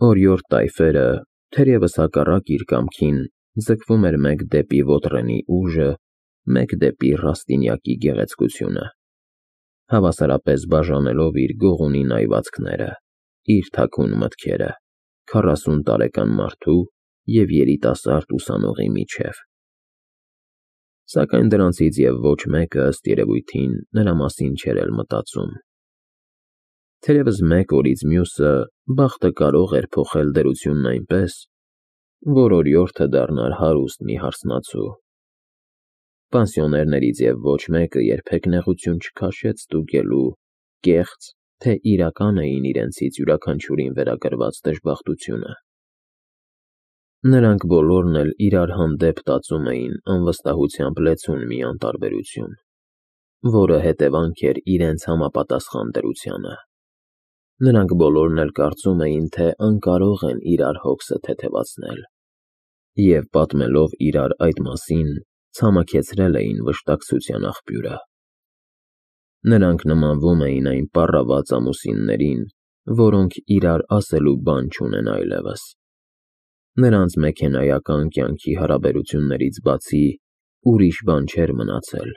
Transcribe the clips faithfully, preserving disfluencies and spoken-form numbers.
Օրիորդ տայֆերը, թերևս հակառակ իր կամքին, ձգվում էր մեկ դեպի Ոտրենի ուժը, մեկ դեպի Ռաստինյակի գեղեցկությունը, հավասարապես բաժանելով իր գողունի նայվածքները, իր թաքուն մտքերը քառասուն տարեկան մարդու և երիտասարդ ուսանողի միջև։ Սակայն դրանցից և ոչ մեկը, ըստ երևույթին, նրա մասին չէր էլ մտածում։ Թերևս մեկ օրից մյուսը բախտը կարող էր փոխել դերությունն այնպես, որ օրիորդը դառնար հարուստ մի հարսնացու։ Պանսիոներներից և ոչ մեկը երբեք նեղություն չքաշեց ստուգելու, կեղծ, թե իրական էին իրենցից յուրաքանչյուրին վերագրված դժբախտությունը։ Նրանք բոլորն էլ իրար հանդեպ տածում էին անվստահությամբ լեցուն մի անտարբերություն, որը հետևանք էր իրենց համապատասխան դրությանը։ Նրանք բոլորն էլ կարծում էին, թե անկարող են իրար հոգսը թեթևացնել, և պատմելով իրար այդ մասին, ցամաքեցրել էին վշտակցության աղբյուրը։ Նրանք նմանվում էին այն պառաված ամուսիններին, որոնք իրար ասելու բան չունեն այլևս։ Նրանց մեքենայական կյանքի հարաբերություններից բացի ուրիշ բան չէր մնացել,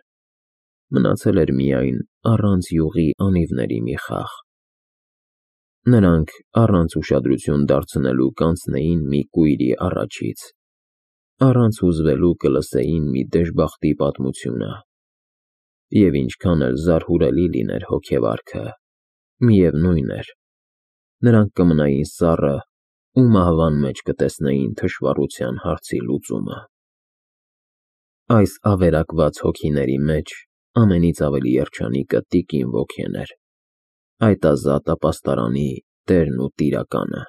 մնացել էր միայն առանց յուղի անիվների մի խաղ։ Նրանք առանց ուշադրություն դարձնելու կանցնեին մի կույրի առաջից, առանց հուզվելու կլսեին մի դժբախտի պատմությունը, և ինչքան էլ զարհուրելի լիներ հոգեվարքը, միևնույն էր, նրանք կմնային սառը ու մահվան մեջ կտեսնեին թշվառության հարցի լուծումը։ Այս ավերակված հոգիների մեջ ամենից ավելի երջանիկը տիկին ոգին էր, այդ ազատ ապաստարանի տերն ու տիրակալը։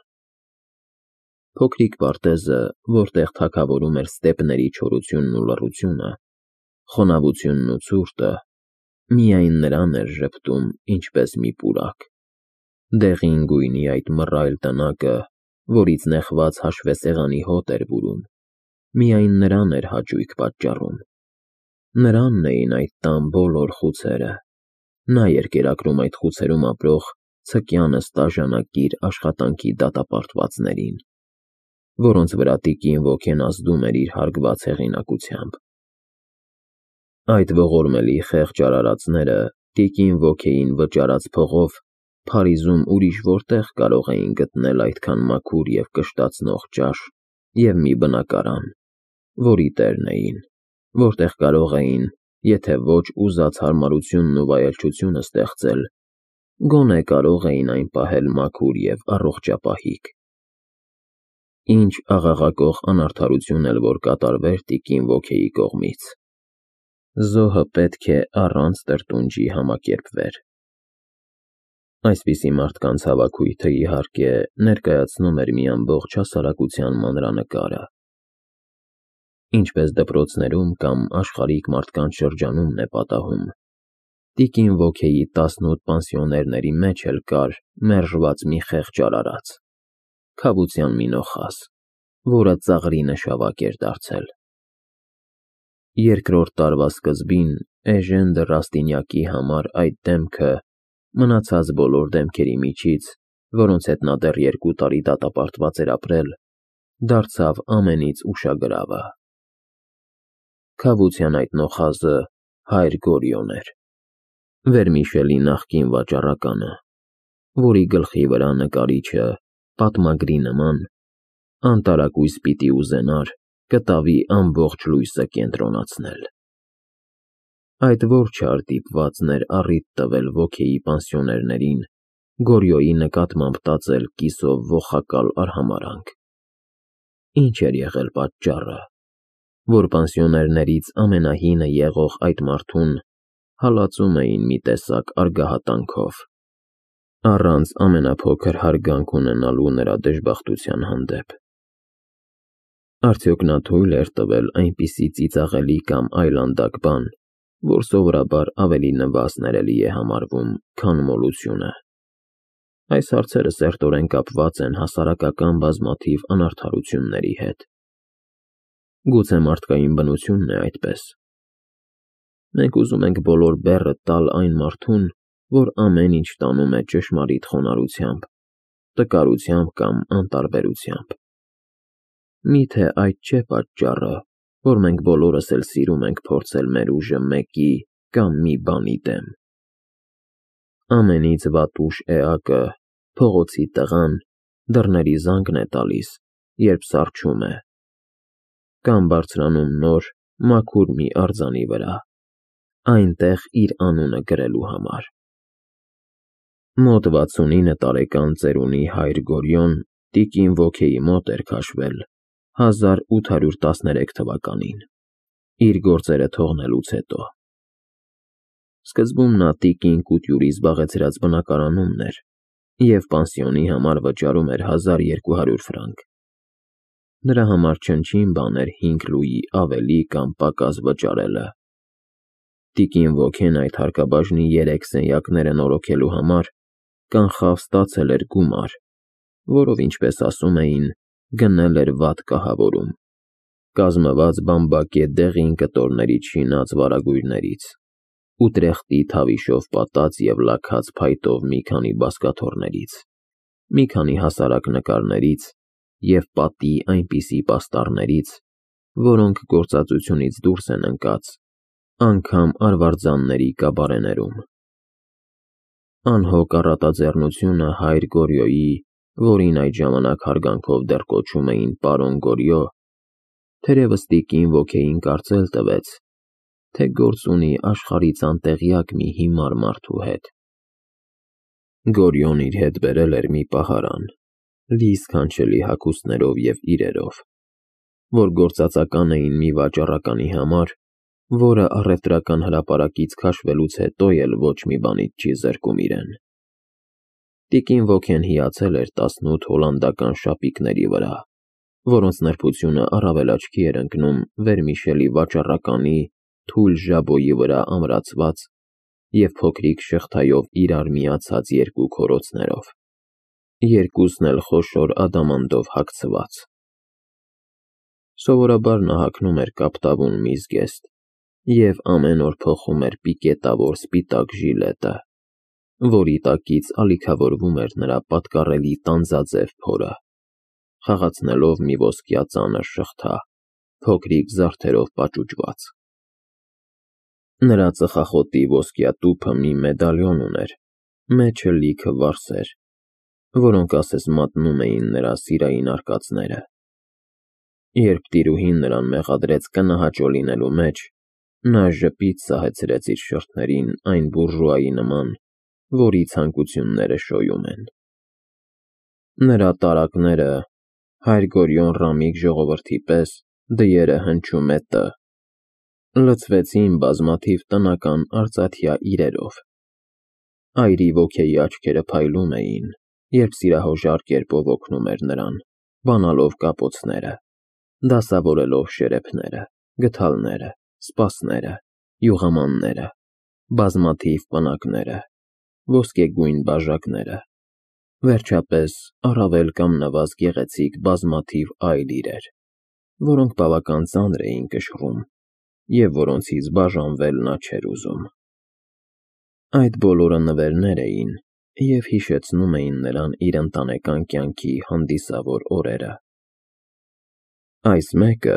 Փոքրիկ պարտեզը, որտեղ թագավորում էր ստեպների չորությունն ու լռությունը, խոնավությունն ու ցուրտը, միայն նրան էր ժպտում ինչպես մի պուրակ։ Դեղին գույնի այդ մռայլ տնակը, որից նեխված հաշվեսեղանի հոտ էր բուրում, միայն նրան էր հաճույք պատճառում։ Նրանն էին այդ տան բոլոր խուցերը, նա էր կերակրում այդ խուցերում ապրող ցկյան ստաժանակիր աշխատանքի դատապարտվածներին, որոնց վրա տիկին ոգին ազդում էր իր հարգված հեղինակությամբ։ Այդ ողորմելի խեղճ արարածները տիկին ոգիին վճարած փողով Փարիզում ուրիշ որտեղ կարող էին գտնել այդքան մաքուր և կշտացնող ճաշ և մի բնակարան, որի տերն էին, որտեղ կարող էին, եթե ոչ ուզած հարմարությունն ու վայելչությունը ստեղծել, գոնե կարող էին այն պահել մաքուր և առողջապահիկ։ Ինչ աղաղակող անարդարություն էլ որ կատարվեր տիկին ոգիի կողմից, զոհը պետք է առանց տրտունջի համակերպվեր։ Այսպիսի մարդկանց հավաքույթը, իհարկե, ներկայացնում էր մի ամբողջ հասարակության մանրանկարը։ Ինչպես դպրոցներում կամ աշխարհիկ մարդկանց շրջանումն է պատահում, տիկին ոգիի տասնութ պանսիոներների մեջ էլ կար մերժված մի խեղճ արարած, քավության մի նոխազ, որը ծաղրի նշավակ էր դարձել։ Երկրորդ տարվա սկզբին Էժեն դը Ռաստինյակի համար այդ դեմքը, մնացած բոլոր դեմքերի միջից, որոնց հետ նա դեռ երկու տարի դատապարտված էր ապրել, դարձավ ամենից ուշագրավը։ Քավության այդ նոխազը հայր Գորիոն էր, Վերմիշելի նախկին վաճառականը, որի գլխի վրա նկարիչը, պատմագրի նման, անտարակույս պիտի ուզենար կտավի ամբողջ լույսը կենտրոնացնել։ Այդ որ չար դիպվածն էր առիթ տվել ոգիի պանսիոներներին Գորիոյի նկատմամբ տածել կիսով ոխակալ արհամարհանք։ Ինչ էր եղել պատճառը, որ պանսիոներներից ամենահինը եղող այդ մարդուն հալածում էին մի տեսակ արգահատանքով, առանց ամենափոքր հարգանք ունենալու նրա դժբախտության հանդեպ։ Արդյոք նա թույլ էր տվել այնպիսի ծիծաղելի կամ այլանդակ բան, որ սովորաբար ավելի նվազ ներելի է համարվում, քան մոլությունը։ Այս հարցերը սերտորեն կապված են հասարակական բազմաթիվ անարդարությունների հետ։ Գուցե մարդկային բնությունն է այդպես։ Մենք ուզում ենք բոլոր բեռը տալ այն մարդուն, որ ամեն ինչ տանում է ճշմարիտ խոնարհությամբ, տկարությամբ կամ անտարբերությամբ։ Միթե այդ չէ պատճառը, որ մենք բոլորս էլ սիրում ենք փորձել մեր ուժը մեկի կամ մի բանի դեմ։ Ամենից վատուշ էակը, փողոցի տղան, դռների զանգն է տալիս, երբ սառչում է, կամ բարձրանում նոր, մաքուր մի արձանի վրա, այնտեղ իր անունը գրելու համար։ Մոտ վաթսունինը տարեկան ծերունի հայր Գորյոն տիկին Ոքեի մոտ էր քաշվել հազար ութ հարյուր տասներեք թվականին, իր գործերը թողնելուց հետո։ Սկզբում նա տիկին Կուտյուրի զբաղեցրած բնակարանումն էր և պանսիոնի համար վճարում էր հազար երկու հարյուր ֆրանկ։ Նրա համար չնչին բան էր հինգ լուի ավելի կամ պակաս վճարելը։ Տիկին Ոքեն այդ հարկաբաժնի երեք սենյակները նորոգելու համար կանխավ ստացել էր գումար, որով, ինչպես ասում էին, գնել էր վատ կահավորում, կազմված բամբակե դեղին կտորներից շինած վարագույրներից, Ուտրեխտի թավիշով պատած և լաքած փայտով մի քանի բազկաթոռներից, մի քանի հասարակ նկարներից և պատի այնպիսի պաստառներից, որոնք գործածությունից դուրս են ընկած անգամ արվարձանների կաբարեներում։ Անհոգ առատաձեռնությունը հայր Գորյոյի, որին այդ ժամանակ հարգանքով դեռ կոչում էին պարոն Գորյո, թերևս տիկին Ոքեին կարծել տվեց, թե գործ ունի աշխարհից անտեղյակ մի հիմար մարդու հետ։ Գորյոն իր հետ բերել էր մի պահարան, լի սքանչելի հագուստներով և իրերով, որ գործածական էին մի վաճառականի համար, որը առևտրական հրապարակից քաշվելուց հետո էլ ոչ մի բանից չի զրկում իրեն։ Տիկին Ոքեն հիացել էր տասնութ հոլանդական շապիկների վրա, որոնց նրբությունը առավել աչքի էր ընկնում վերմիշելի վաճառականի թույլ ժաբոյի վրա ամրացված և փոքրիկ շղթայով իրար միացած երկու քորոցներով, երկուսն էլ խոշոր ադամանդով հագցված։ Սովորաբար նա հագնում էր կապտավուն մի զգեստ և ամեն օր փոխում էր պիկետավոր սպիտակ ժիլետը, որի տակից ալիքավորվում էր նրա պատկառելի տանձաձև փորը, խաղացնելով մի ոսկյա ծանր շղթա, փոքրիկ զարդերով պաճուճված։ Նրա ծխախոտի ոսկյա տուփը մի մեդալիոն ուներ, մեջը լիքը վարսեր, որոնք ասես մատնում էին նրա սիրային արկածները։ Երբ տիրուհին նրան մեղադրեց կնահաճո լինելու մեջ, նա ժպիտ սահեցրեց իր շրթերին այն բուրժուայի նման, որի ցանկությունները շոյում են։ Նրա տարակները, հայր Գորյոն Ռամիկ ժողովրդի պես, դիերը հնչում է Տ, լցվեցին բազմաթիվ տնական արծաթյա իրերով։ Այրի Ոքեի աչքերը փայլում էին, երբ սիրահոժար կերպով օգնում էր նրան, բանալով կապոցները, դասավորելով շերեփները, գդալները, սպասները, յուղամանները, բազմաթիվ պնակները, ոսկեգույն բաժակները, վերջապես առավել կամ նվազ գեղեցիկ բազմաթիվ այլ իրեր, որոնք բավական ծանր էին կշռում և որոնցից բաժանվել նա չէր ուզում։ Այդ բոլորը նվերներ էին և հիշեցնում էին նրան իր ընտանեկան կյանքի հանդիսավոր օրերը։ Այս մեկը,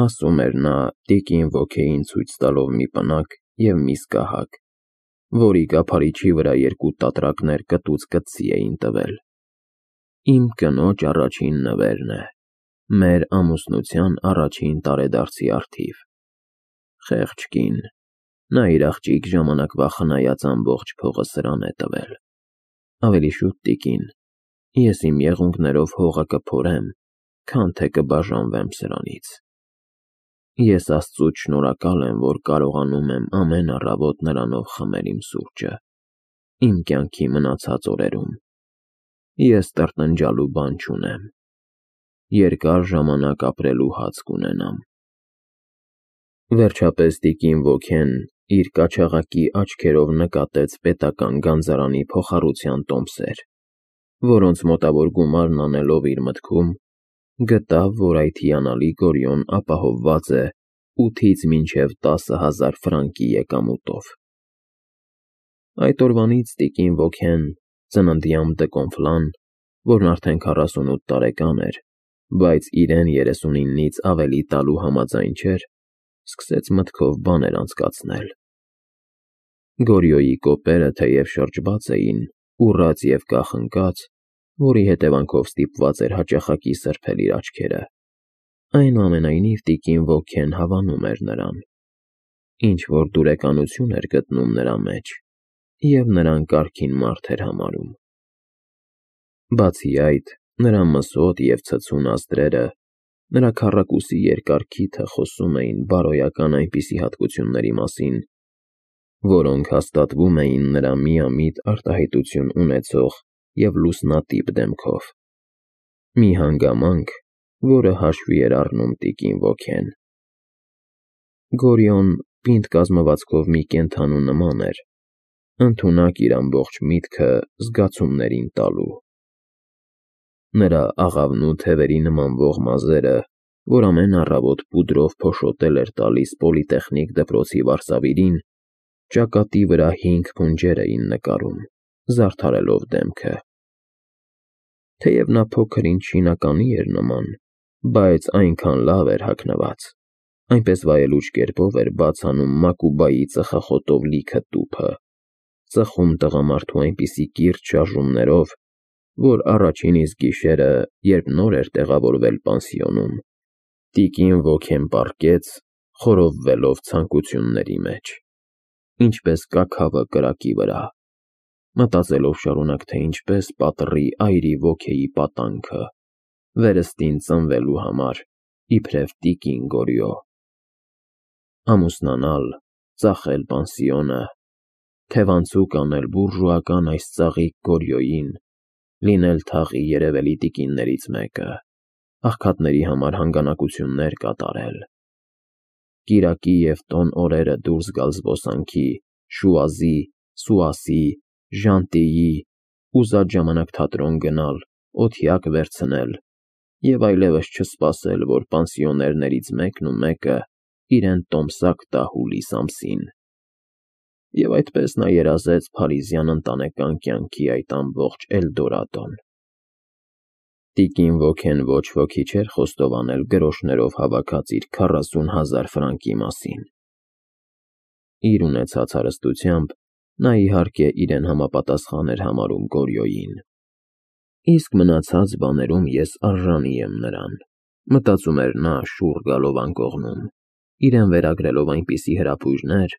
ասում էր նա, տիկին Ոքեին ցույց տալով մի պնակ և մի սկահակ, որի կափարիչի վրա երկու տատրակներ կտուց կծի էին տվել, իմ կնոջ առաջին նվերն է, մեր ամուսնության առաջին տարեդարձի առթիվ։ Խեղճ կին, նա իր աղջիկ ժամանակվա խնայած ամբողջ փողը սրան է տվել։ Ավելի շուտ, տիկին, ես իմ եղունգներով հողը կփորեմ, քան թե կբաժանվեմ սրանից։ Ես Աստծուց շնորհակալ եմ, որ կարողանում եմ ամեն առավոտ նրանով խմել իմ սուրճը, իմ կյանքի մնացած օրերում։ Ես տրտնջալու բան չունեմ, երկար ժամանակ ապրելու հաց կունենամ։ Վերջապես տիկին Ոքեն իր կաչաղակի աչքերով նկատեց պետական գանձարանի փոխառության տոմսեր, որոնց մոտավոր գումարն անելով իր մտքում, գտավ, որ այդ հիանալի Գորյոն ապահովված է ութից մինչև տասը հազար ֆրանկի եկամուտով։ Այդ օրվանից տիկին Ոքեն, ծննդյան Դկոնֆլան, որն արդեն քառասունութ տարեկան էր, բայց իրեն երեսունինից ավելի տալու համաձայն չէր, սկսեց մտքով բաներ անցկացնել։ Գորիոյի կոպերը թեև շրջված էին, ուռած և կախնկած, որի հետևանքով ստիպված էր հաճախակի սրբել իր աչքերը, այնուամենայնիվ տիկին Ոքեն հավանում էր նրան, ինչ-որ դուրեկանություն էր գտնում նրա մեջ և նրան կարգին մարդ էր համարում։ Բացի այդ, նրա մսոտ և ցցուն ազդրերը, նրա քառակուսի երկար քիթը խոսում էին բարոյական այնպիսի հատկությունների մասին, որոնք հաստատվում էին նրա միամիտ արտահայտություն ունեցող և լուսնատիպ դեմքով։ Մի հանգամանք, որը հաշվի էր առնում տիկին Ոքեն։ Գորիոն պինդ կազմվածքով մի կենդանու նման էր, ընդունակ իր ամբողջ միտքը զգացումներին տալու։ Նրա աղավնու թևերի նմանվող մազերը, որ ամեն առավոտ պուդրով փոշոտել էր տալիս պոլիտեխնիկ դպրոցի վարսավիրին, ճակատի վրա հինգ փունջեր էին նկարում, զարդարելով դեմքը։ Թեև նա փոքր-ինչ շինականի էր նման, բայց այնքան լավ էր հագնված, այնպես վայելուչ կերպով էր բաց անում Մակուբայի ծխախոտով լիքը տուփը, ծխում տղամարդու այնպիսի կիրճ շարժումներով, որ առաջին իսկ գիշերը, երբ նոր էր տեղավորվել պանսիոնում, տիկին Ոքեն պառկեց, խորովվելով ցանկությունների մեջ, ինչպես կաքավը կրակի վրա, մտածելով շարունակ, թե ինչպես պատռի այրի Ոքեի պատանքը, վերստին ծնվելու համար, իբրև տիկին Գորիո։ Ամուսնանալ, ծախել պանսիոնը, թևանցուկ անել բուրժուական այս ծաղիկ Գորիոյին, լինել թաղի երևելի տիկիններից մեկը, աղքատների համար հանգանակություններ կատարել, կիրակի և տոն օրերը դուրս գալ զբոսանքի, Շուազի, Սուասի, Ժանտիի, ուզած ժամանակ թատրոն գնալ, օթյակ վերցնել և այլևս չսպասել, որ պանսիոներներից մեկն ու մեկը իրեն տոմսակ տա հուլիս ամսին։ Եվ այդպես նա երազեց փարիզյան ընտանեկան կյանքի այդ ամբողջ Էլդորադոն։ Տիկին Ոքեն ոչ ոքի չէր խոստովանել գրոշներով հավաքած իր քառասուն հազար ֆրանկի մասին։ Իր ունեցած հարստությամբ նա իհարկե իրեն համապատասխան էր համարում Գորիոյին։ Իսկ մնացած բաներում ես արժանի եմ նրան, մտածում էր նա շուռ գալով անկողնում, իրեն վերագրելով այնպիսի հրապույրներ,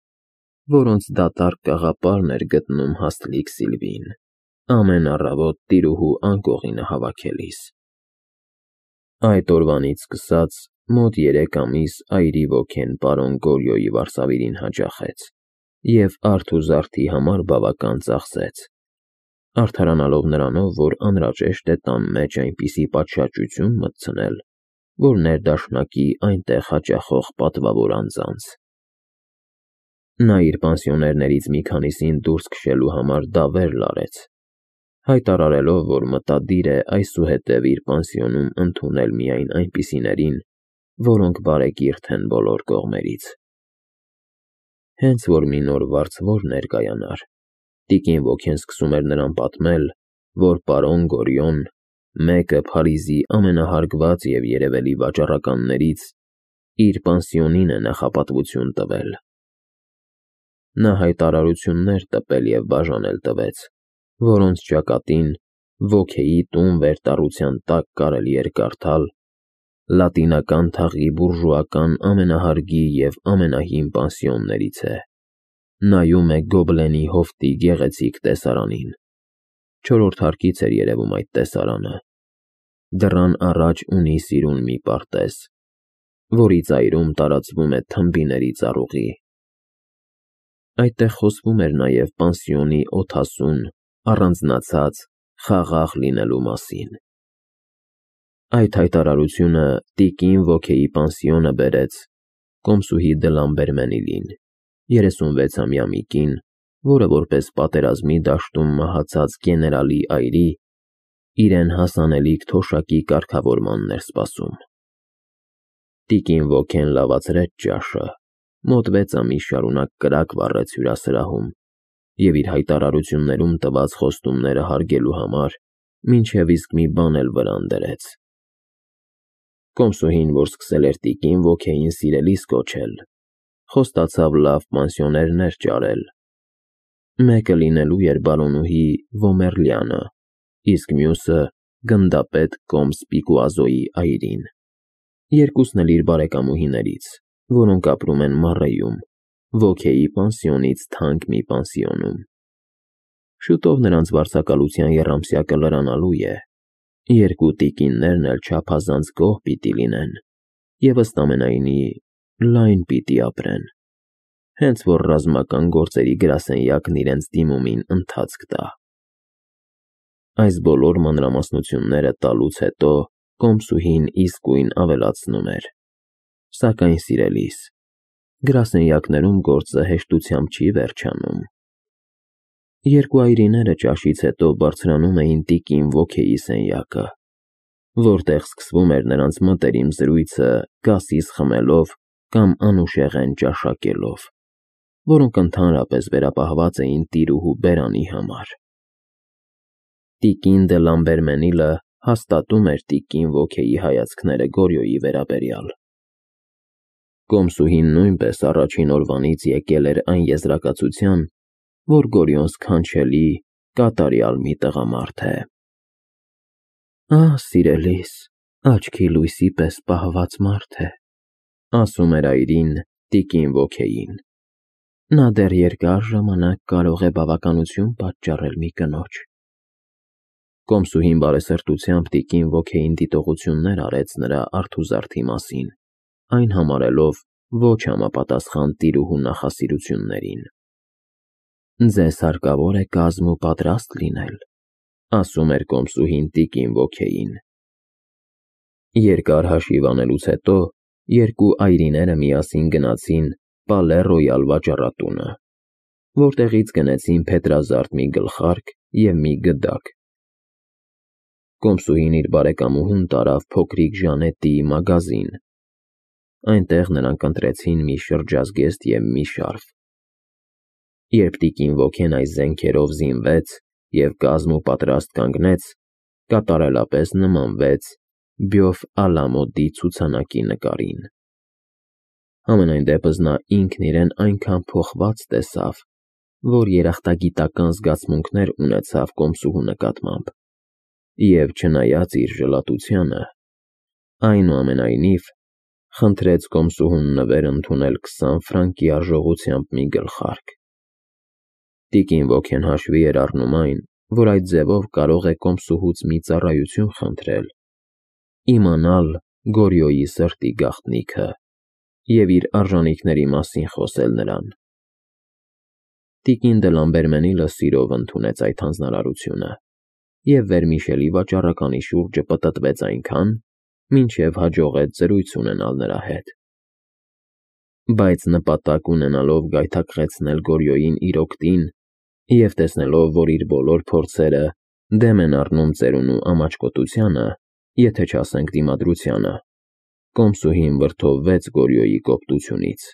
որոնց դատարկ կաղապարն էր գտնում հաստլիկ Սիլվին, ամեն առավոտ տիրուհու անկողինը հավաքելիս։ Այդ օրվանից սկսած մոտ երեք ամիս այրի Ոքեն պարոն Գորիոյի վարսավիրին հաճախեց և արդ ու զարդի համար բավական ծախսեց, արդարանալով նրանով, որ անհրաժեշտ է տան մեջ այնպիսի պատշաճություն մտցնել, որ ներդաշնակի այնտեղ հաճախող պատվավոր անձանց։ Նա իր պանսիոներներից մի քանիսին դուրս քշելու համար դավեր լարեց, հայտարարելով, որ մտադիր է այսուհետև իր պանսիոնում ընդունել միայն այնպիսիներին, որոնք բարեկիրթ են բոլոր կողմերից։ Հենց որ մի նոր վարձվոր ներկայանար, տիկին Ոքեն սկսում էր նրան պատմել, որ պարոն Գորիոն, մեկը Փարիզի ամենահարգված և երևելի վաճառականներից, իր պանսիոնին է նախապատվություն տվել։ Նա հայտարարություններ տպել և բաժանել տվեց, որոնց ճակատին Ոքեի տուն վերտառության տակ կարելի էր կարդալ. «Լատինական թաղի բուրժուական ամենահարգի և ամենահին պանսիոններից է, նայում է Գոբլենի հովտի գեղեցիկ տեսարանին»։ Չորրորդ հարկից էր երևում այդ տեսարանը։ Դռան առաջ ունի սիրուն մի պարտեզ, որի ծայրում տարածվում է թմբիների ծառուղի։ Այդտեղ խոսվում էր նաև պանսիոնի օդասուն, առանձնացած, խաղաղ լինելու մասին։ Այդ հայտարարությունը տիկին Ոքեի պանսիոնը բերեց կոմսուհի Դլամբերմենիլին, երեսունվեցամյա մի կին, որը որպես պատերազմի դաշտում մահացած գեներալի այրի, իրեն հասանելիք թոշակի կարգավորմանն էր սպասում։ Տիկին Ոքեն լավացրեց ճաշը, մոտ վեց ամիս շարունակ կրակ վառեց հյուրասրահում և իր հայտարարություններում տված խոստումները հարգելու համար մինչև իսկ մի բան էլ վրան դրեց։ Կոմսուհին, որ սկսել էր տիկին ոգեին սիրելիս կոչել, խոստացավ լավ պանսիոներներ ճարել։ Մեկը լինելու էր բարոնուհի Ոմերլյանը, իսկ մյուսը գնդապետ Կոմս Պիկուազոյի այրին։ Երկուսն էլ իր բարեկամուհիներից, որոնք ապրում են Մառեյում, ոգեի պանսիոնից թանկ մի պանսիոնում։ Շուտով նրանց վարձակալության եռամսյակը լրանալու է, երկու տիկիններն էլ չափազանց գոհ պիտի լինեն և ըստ ամենայնի լայն պիտի ապրեն, հենց որ ռազմական գործերի գրասենյակն իրենց դիմումին ընթացք տա։ Այս բոլոր մանրամասնությունները տալուց հետո Կոմսուհին իսկույն ավելացնում էր. Սակայն սիրելիս, գրասենյակներում գործը հեշտությամբ չի վերջանում։ Երկու այրիները ճաշից հետո բարձրանում էին տիկին ոգեի սենյակը, որտեղ սկսվում էր նրանց մտերիմ զրույցը կասիս խմելով կամ անուշեղեն ճաշակելով, որոնք ընդհանրապես վերապահված էին տիրուհու բերանի համար։ Տիկին դը Լամբերմենիլը հաստատում էր տիկին ոգեի հայացքները Գորյոյի վերաբերյալ։ Կոմսուհին նույնպես առաջին օրվանից եկել էր այն եզրակացության, որ Գորյոն սքանչելի, կատարյալ մի տղամարդ է։ Ահ, սիրելիս, աչքի լույսի պես պահված մարդ է, ասում էր այրին տիկին ոգեին։ Նա դեռ երկար ժամանակ կարող է բավականություն պատճառել մի կնոջ։ Կոմսուհին բարեսրտությամբ տիկին ոգեին դիտողություններ արեց նրա արթուզարդի մասին, այն համարելով ոչ համապատասխան տիրուհու նախասիրություններին։ Ձեզ հարկավոր է կազմ ու պատրաստ լինել, ասում էր Կոմսուհին տիկին ոգեին։ Երկար հաշիվ անելուց հետո երկու այրիները միասին գնացին Պալե Ռոյալ վաճառատունը, որտեղից գնեցին փետրազարդ մի գլխարկ և մի գդակ։ Կոմսուհին իր բարեկամուհուն տարավ փոքրիկ Ժանետիի մագազին։ Այնտեղ նրանք ընտրեցին մի շրջազգեստ և մի շարֆ։ Երբ տիկին ոգեն այս զենքերով զինվեց և կազմ ու պատրաստ կանգնեց, կատարելապես նմանվեց Բյոֆ Ալամոդի ցուցանակի նկարին։ Համենայն դեպս նա ինքն իրեն այնքան փոխված տեսավ, որ երախտագիտական զգացմունքներ ունեցավ Կոմսուհու նկատմամբ և, չնայած իր ժլատությանը, այնուամենայնիվ խնդրեց Կոմսուհուն նվեր ընդունել քսան ֆրանկի արժողությամբ մի գլխարկ։ Տիկին ոգեն հաշվի էր առնում այն, որ այդ ձևով կարող է Կոմսուհուց մի ծառայություն խնդրել, իմանալ Գորյոյի սրտի գաղտնիքը և իր արժանիքների մասին խոսել նրան։ Տիկին դը Լամբերմենիլը սիրով ընդունեց այդ հանձնարարությունը և վերմիշելի վաճառականի շուրջը պտտվեց այնքան, մինչև հաջողեց զրույց ունենալ նրա հետ։ Բայց նպատակ ունենալով գայթակղեցնել Գորյոյին իր օգտին և տեսնելով, որ իր բոլոր փորձերը դեմ են առնում ծերունու ամաչկոտությանը, եթե չասենք դիմադրությանը, Կոմսուհին վրդովվեց Գորյոյի կոպտությունից